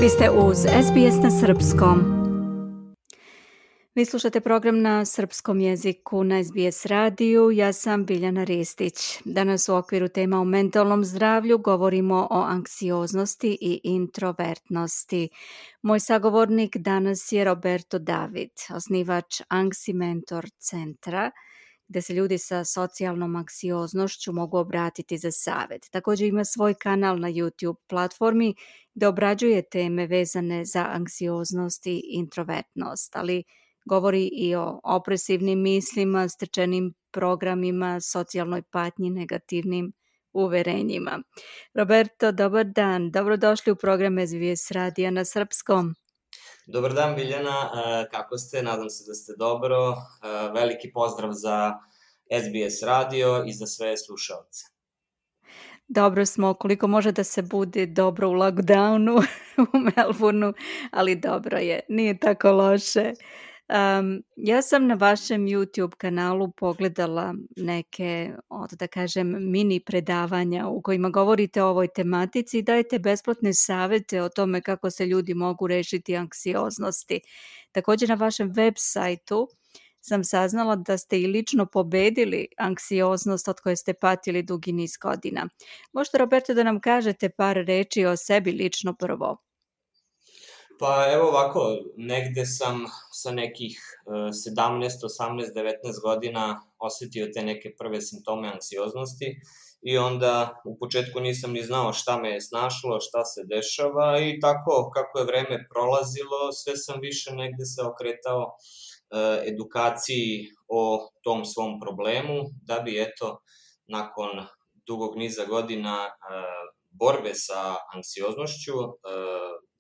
Vi ste uz SBS na srpskom. Vi slušate program na srpskom jeziku na SBS radiju. Ja sam Biljana Ristić. Danas u okviru tema o mentalnom zdravlju govorimo o anksioznosti i introvertnosti. Moj sagovornik danas je Roberto David, osnivač Anksi Mentor centra, gde se ljudi sa socijalnom anksioznošću mogu obratiti za savjet. Također ima svoj kanal na YouTube platformi gde obrađuje teme vezane za anksioznost i introvertnost, ali govori i o opresivnim mislima, stečenim programima, socijalnoj patnji, negativnim uverenjima. Roberto, dobar dan. Dobrodošli u program SBS radija na srpskom. Dobar dan, Biljana. Kako ste? Nadam se da ste dobro. Veliki pozdrav za SBS radio i za sve slušalce. Dobro smo, koliko može da se bude dobro u lockdownu u Melbourneu, ali dobro je, nije tako loše. Ja sam na vašem YouTube kanalu pogledala neke, da kažem, mini predavanja u kojima govorite o ovoj tematici i dajete besplatne savjete o tome kako se ljudi mogu rešiti anksioznosti. Također na vašem web sajtu sam saznala da ste i lično pobedili anksioznost od koje ste patili dugi niz godina. Možete, Roberto, da nam kažete par reči o sebi lično prvo? Pa evo ovako, negde sam sa nekih 17, 18, 19 godina osetio te neke prve simptome anksioznosti i onda u početku nisam ni znao šta me je snašlo, šta se dešava i tako kako je vreme prolazilo, sve sam više negde se okretao edukaciji o tom svom problemu, da bi eto nakon dugog niza godina borbe sa anksioznošću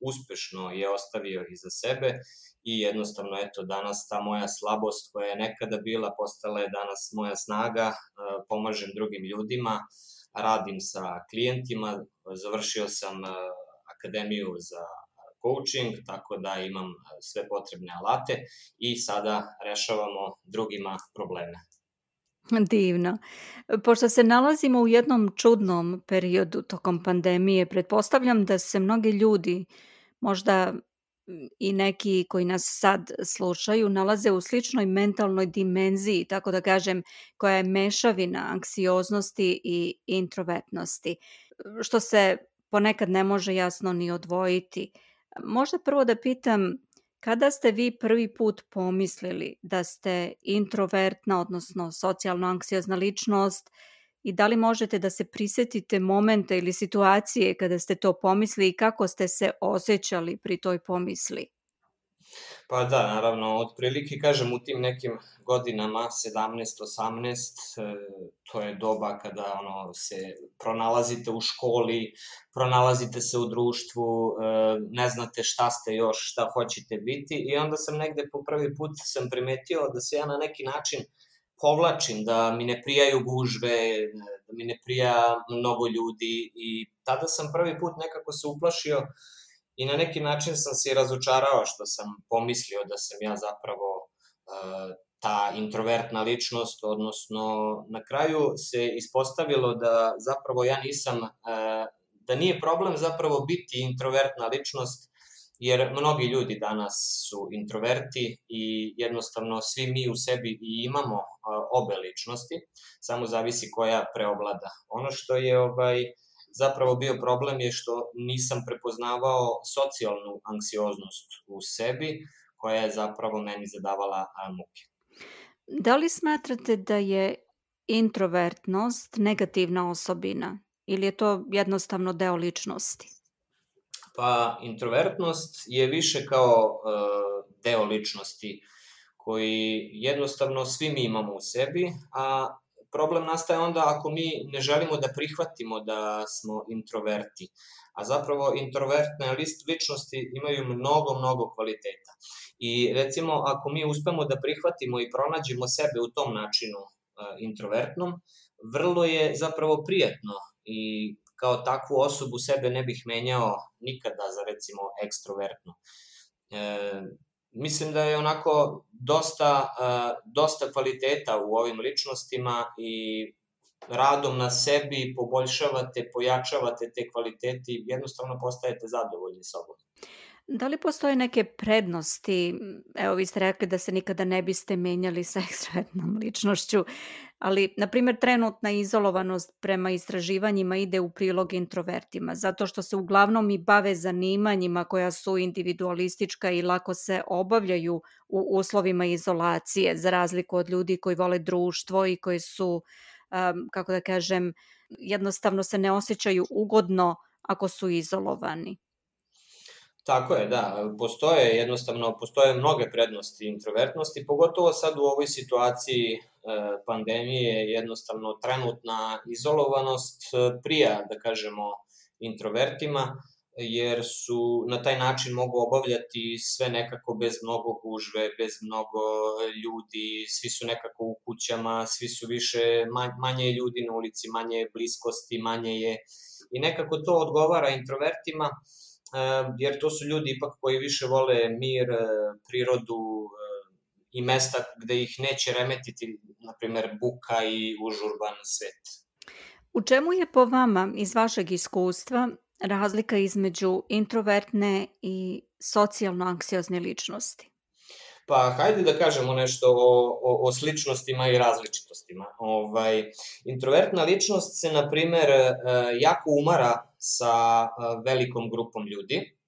uspešno je ostavio iza sebe i jednostavno eto danas ta moja slabost koja je nekada bila postala je danas moja snaga, pomažem drugim ljudima, radim sa klijentima, završio sam akademiju za coaching, tako da imam sve potrebne alate i sada rešavamo drugima probleme. Divno. Pošto se nalazimo u jednom čudnom periodu tokom pandemije, pretpostavljam da se mnogi ljudi, možda i neki koji nas sad slušaju, nalaze u sličnoj mentalnoj dimenziji, tako da kažem, koja je mešavina anksioznosti i introvertnosti, što se ponekad ne može jasno ni odvojiti. Možda prvo da pitam, kada ste vi prvi put pomislili da ste introvertna, odnosno socijalno anksiozna ličnost i da li možete da se prisetite momenta ili situacije kada ste to pomislili i kako ste se osjećali pri toj pomisli? Pa da, naravno, otprilike kažem u tim nekim godinama, 17-18, to je doba kada se pronalazite u školi, pronalazite se u društvu, ne znate šta ste još, šta hoćete biti i onda sam negde po prvi put sam primetio da se ja na neki način povlačim, da mi ne prijaju gužve, da mi ne prija mnogo ljudi i tada sam prvi put nekako se uplašio i na neki način sam se razočarao što sam pomislio da sam ja zapravo ta introvertna ličnost, odnosno na kraju se ispostavilo da zapravo ja nisam, da nije problem zapravo biti introvertna ličnost, jer mnogi ljudi danas su introverti i jednostavno svi mi u sebi i imamo obe ličnosti, samo zavisi koja preovlada. Ono što je zapravo bio problem je što nisam prepoznavao socijalnu anksioznost u sebi, koja je zapravo meni zadavala muke. Da li smatrate da je introvertnost negativna osobina ili je to jednostavno deo ličnosti? Pa introvertnost je više kao deo ličnosti koji jednostavno svi mi imamo u sebi, a problem nastaje onda ako mi ne želimo da prihvatimo da smo introverti, a zapravo introvertne ličnosti imaju mnogo kvaliteta. I recimo ako mi uspemo da prihvatimo i pronađemo sebe u tom načinu introvertnom, vrlo je zapravo prijatno i kao takvu osobu sebe ne bih menjao nikada za recimo ekstrovertnu. Mislim da je onako dosta kvaliteta u ovim ličnostima i radom na sebi poboljšavate, pojačavate te kvalitete i jednostavno postajete zadovoljni sobom. Da li postoje neke prednosti? Evo, vi ste rekli da se nikada ne biste menjali sa ekstrovertnom ličnošću, ali, na primjer, trenutna izolovanost prema istraživanjima ide u prilog introvertima, zato što se uglavnom i bave zanimanjima koja su individualistička i lako se obavljaju u uslovima izolacije, za razliku od ljudi koji vole društvo i koji su, kako da kažem, jednostavno se ne osjećaju ugodno ako su izolovani. Tako je, da. Postoje mnoge prednosti introvertnosti, pogotovo sad u ovoj situaciji pandemije, jednostavno trenutna izolovanost prija, da kažemo, introvertima, jer su na taj način mogu obavljati sve nekako bez mnogo gužve, bez mnogo ljudi, svi su nekako u kućama, svi su manje je ljudi na ulici, manje je bliskosti, manje je... I nekako to odgovara introvertima, jer to su ljudi ipak koji više vole mir, prirodu i mesta gde ih neće remetiti, na primer, buka i užurban svet. U čemu je po vama, iz vašeg iskustva, razlika između introvertne i socijalno anksiozne ličnosti? Pa, hajde da kažemo nešto o sličnostima i različitostima. Introvertna ličnost se, na primer, jako umara sa velikom grupom ljudi,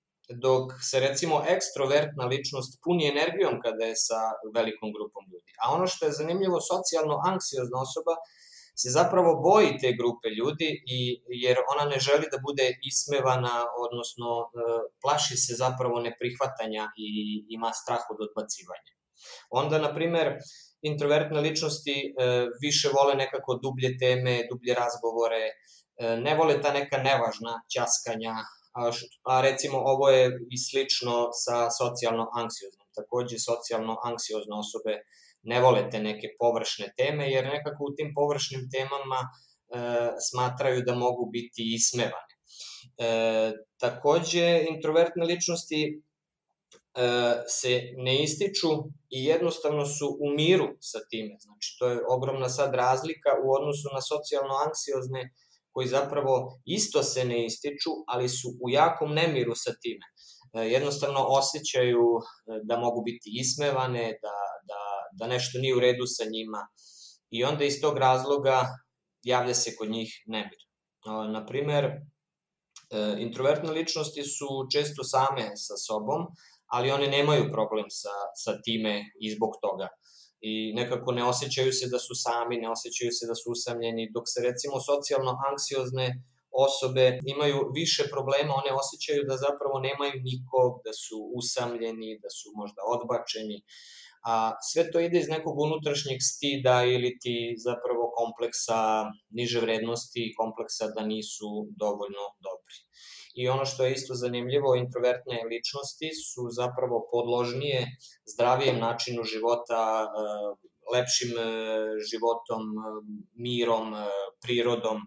dok se, recimo, ekstrovertna ličnost puni energijom kada je sa velikom grupom ljudi. A ono što je zanimljivo, socijalno anksiozna osoba se zapravo boji te grupe ljudi, jer ona ne želi da bude ismevana, odnosno plaši se zapravo neprihvatanja i ima strah od odbacivanja. Onda, na primer, introvertne ličnosti više vole nekako dublje teme, dublje razgovore, ne vole ta neka nevažna ćaskanja, a recimo ovo je i slično sa socijalno anksioznom. Takođe, socijalno anksiozne osobe ne vole te neke površne teme, jer nekako u tim površnim temama smatraju da mogu biti ismevane. Takođe, introvertne ličnosti se ne ističu i jednostavno su u miru sa time. Znači, to je ogromna sad razlika u odnosu na socijalno anksiozne, koji zapravo isto se ne ističu, ali su u jakom nemiru sa time. Jednostavno osjećaju da mogu biti ismevane, da nešto nije u redu sa njima i onda iz tog razloga javlja se kod njih nemir. Naprimer, introvertne ličnosti su često same sa sobom, ali one nemaju problem sa time i zbog toga. I nekako ne osjećaju se da su sami, ne osjećaju se da su usamljeni, dok se recimo socijalno anksiozne osobe imaju više problema, one osjećaju da zapravo nemaju nikog, da su usamljeni, da su možda odbačeni, a sve to ide iz nekog unutrašnjeg stida ili ti zapravo kompleksa niže vrednosti, kompleksa da nisu dovoljno dobri. I ono što je isto zanimljivo, introvertne ličnosti su zapravo podložnije zdravijem načinu života, lepšim životom, mirom, prirodom,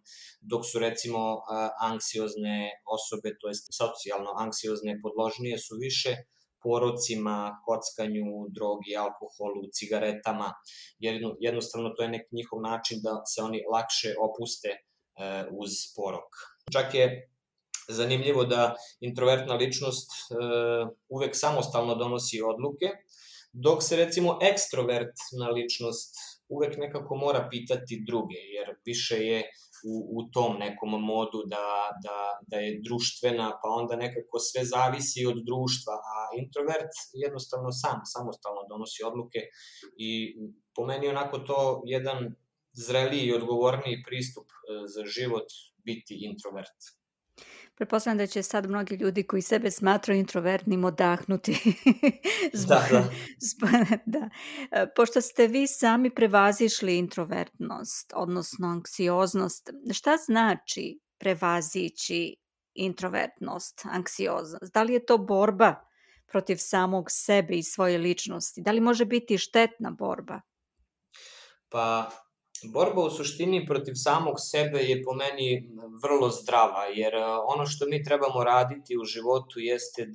dok su recimo anksiozne osobe, to jest socijalno anksiozne podložnije su više porocima, kockanju, drogi, alkoholu, cigaretama, jer jednostavno to je neki njihov način da se oni lakše opuste uz porok. Čak je zanimljivo da introvertna ličnost uvek samostalno donosi odluke, dok se recimo ekstrovertna ličnost uvek nekako mora pitati druge, jer više je u tom nekom modu da je društvena, pa onda nekako sve zavisi od društva, a introvert jednostavno samostalno donosi odluke i po meni onako to jedan zreliji i odgovorniji pristup za život biti introvert. Pretpostavljam da će sad mnogi ljudi koji sebe smatraju introvertnim odahnuti. Da. Pošto ste vi sami prevazišli introvertnost, odnosno anksioznost, šta znači prevazići introvertnost, anksioznost? Da li je to borba protiv samog sebe i svoje ličnosti? Da li može biti štetna borba? Pa, borba u suštini protiv samog sebe je po meni vrlo zdrava, jer ono što mi trebamo raditi u životu jeste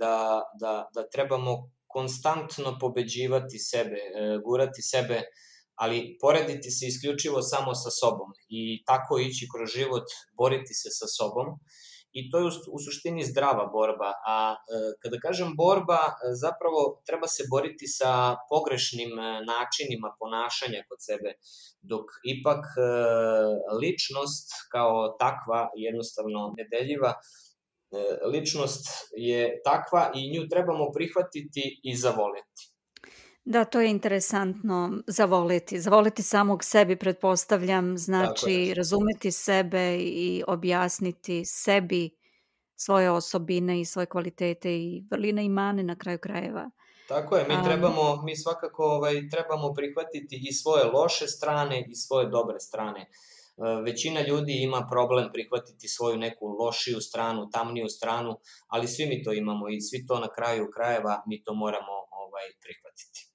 da trebamo konstantno pobeđivati sebe, gurati sebe, ali porediti se isključivo samo sa sobom i tako ići kroz život, boriti se sa sobom i to je u suštini zdrava borba, a kada kažem borba, zapravo treba se boriti sa pogrešnim načinima ponašanja kod sebe, dok ipak ličnost kao takva jednostavno nedeljiva, ličnost je takva i nju trebamo prihvatiti i zavoleti. Da, to je interesantno, zavoleti. Zavoleti samog sebi, pretpostavljam, znači razumeti sebe i objasniti sebi svoje osobine i svoje kvalitete i vrline i mane na kraju krajeva. Tako je, mi svakako trebamo prihvatiti i svoje loše strane i svoje dobre strane. Većina ljudi ima problem prihvatiti svoju neku lošiju stranu, tamniju stranu, ali svi mi to imamo i svi to na kraju krajeva mi to moramo prihvatiti.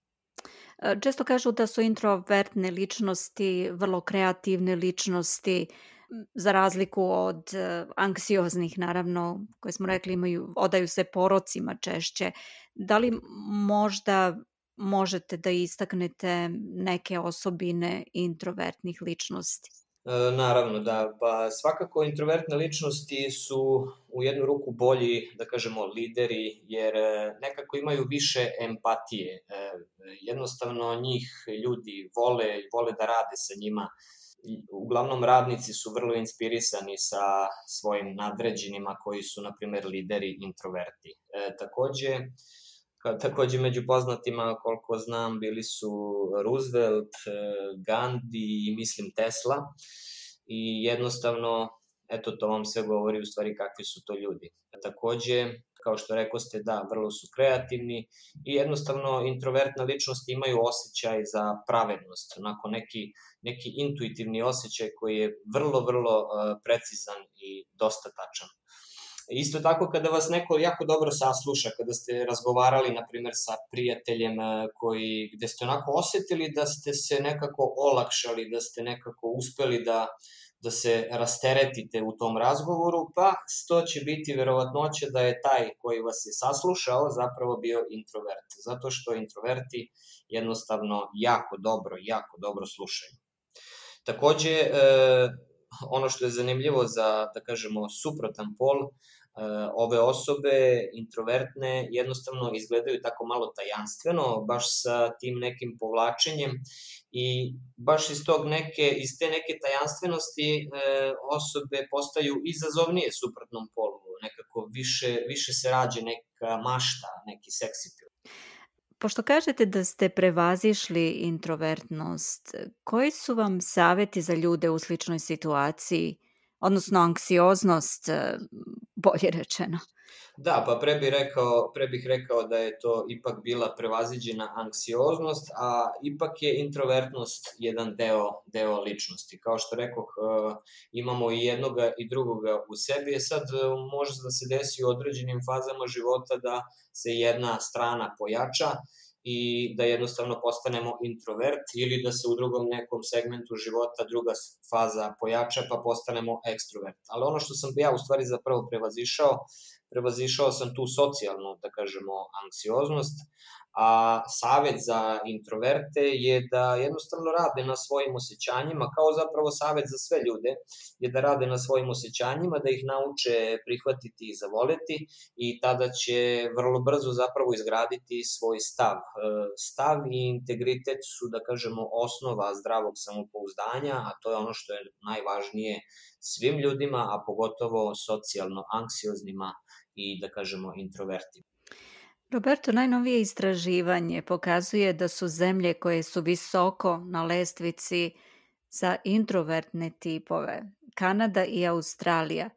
Često kažu da su introvertne ličnosti vrlo kreativne ličnosti, za razliku od anksioznih, naravno, koje smo rekli odaju se porocima češće. Da li možda možete da istaknete neke osobine introvertnih ličnosti? Naravno, da. Pa svakako introvertne ličnosti su u jednu ruku bolji, da kažemo, lideri, jer nekako imaju više empatije. Jednostavno njih ljudi vole da rade sa njima. Uglavnom radnici su vrlo inspirisani sa svojim nadređenima koji su, na primer, lideri introverti. Takođe među poznatima, koliko znam, bili su Roosevelt, Gandhi i mislim Tesla i jednostavno, eto, to vam sve govori u stvari kakvi su to ljudi. Takođe, kao što rekoste, da, vrlo su kreativni i jednostavno introvertne ličnosti imaju osjećaj za pravednost, onako neki intuitivni osjećaj koji je vrlo precizan i dosta tačan. Isto tako, kada vas neko jako dobro sasluša, kada ste razgovarali, na primer, sa prijateljem gde ste onako osetili da ste se nekako olakšali, da ste nekako uspeli da se rasteretite u tom razgovoru, pa to će biti verovatnoća da je taj koji vas je saslušao zapravo bio introvert, zato što introverti jednostavno jako dobro slušaju. Takođe, ono što je zanimljivo za, da kažemo, suprotan pol, ove osobe introvertne jednostavno izgledaju tako malo tajanstveno, baš sa tim nekim povlačenjem i baš iz te neke tajanstvenosti osobe postaju izazovnije suprotnom polu, nekako više se rađe neka mašta, neki seksi film. Pošto kažete da ste prevazišli introvertnost, koji su vam saveti za ljude u sličnoj situaciji, odnosno anksioznost, bolje rečeno? Da, pa pre bih rekao da je to ipak bila prevaziđena anksioznost, a ipak je introvertnost jedan deo ličnosti. Kao što rekoh, imamo i jednoga i drugoga u sebi, sad može da se desi u određenim fazama života da se jedna strana pojača i da jednostavno postanemo introvert ili da se u drugom nekom segmentu života druga faza pojača pa postanemo ekstrovert. Ali ono što sam ja u stvari zapravo prevazišao sam tu socijalnu, da kažemo, anksioznost, a savet za introverte je da jednostavno rade na svojim osjećanjima, kao zapravo savet za sve ljude, je da rade na svojim osjećanjima, da ih nauče prihvatiti i zavoleti i tada će vrlo brzo zapravo izgraditi svoj stav. Stav i integritet su, da kažemo, osnova zdravog samopouzdanja, a to je ono što je najvažnije svim ljudima, a pogotovo socijalno anksioznima i, da kažemo, introvertima. Roberto, najnovije istraživanje pokazuje da su zemlje koje su visoko na lestvici za introvertne tipove, Kanada i Australija.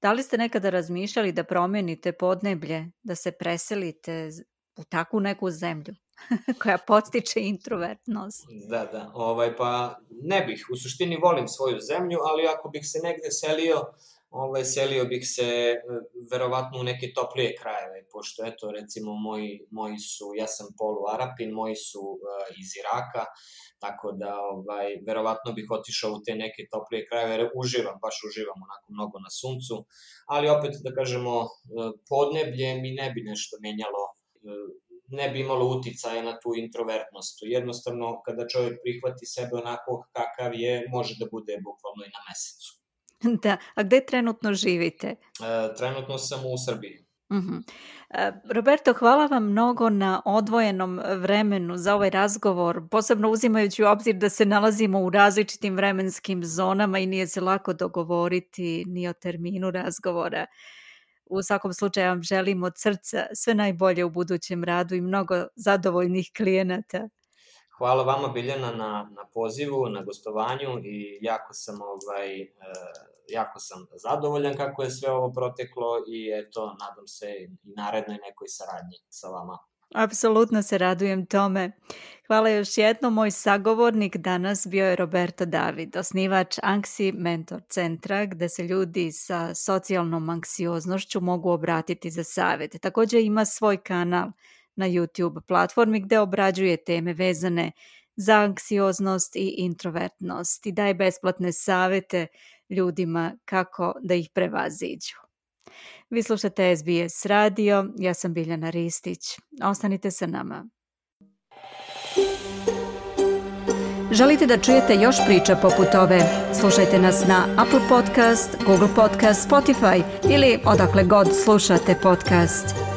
Da li ste nekada razmišljali da promenite podneblje, da se preselite u takvu neku zemlju koja podstiče introvertnost? Da, pa ne bih, u suštini volim svoju zemlju, ali ako bih se negde selio bih se verovatno u neke toplije krajeve, pošto eto recimo moji su, ja sam poluarapin, moji su iz Iraka, tako da verovatno bih otišao u te neke toplije krajeve, jer baš uživam onako mnogo na suncu, ali opet da kažemo podneblje mi ne bi nešto menjalo, ne bi imalo uticaja na tu introvertnost. Jednostavno, kada čovjek prihvati sebe onako kakav je, može da bude bukvalno i na mesecu. Da, a gde trenutno živite? Trenutno sam u Srbiji. Roberto, hvala vam mnogo na odvojenom vremenu za ovaj razgovor, posebno uzimajući u obzir da se nalazimo u različitim vremenskim zonama i nije se lako dogovoriti ni o terminu razgovora. U svakom slučaju vam želim od srca sve najbolje u budućem radu i mnogo zadovoljnih klijenata. Hvala vama, Biljana, na pozivu, na gostovanju i jako sam zadovoljan kako je sve ovo proteklo i eto, nadam se i narednoj nekoj saradnji sa vama. Apsolutno se radujem tome. Hvala još jednom. Moj sagovornik danas bio je Roberto David, osnivač Anksi Mentor centra, gde se ljudi sa socijalnom anksioznošću mogu obratiti za savjet. Također ima svoj kanal na YouTube platformi gde obrađuje teme vezane za anksioznost i introvertnost i daje besplatne savjete ljudima kako da ih prevaziđu. Vi slušate SBS radio, ja sam Biljana Ristić. Ostanite sa nama. Želite da čujete još priča poput ove? Slušajte nas na Apple Podcast, Google Podcast, Spotify ili odakle god slušate podcast.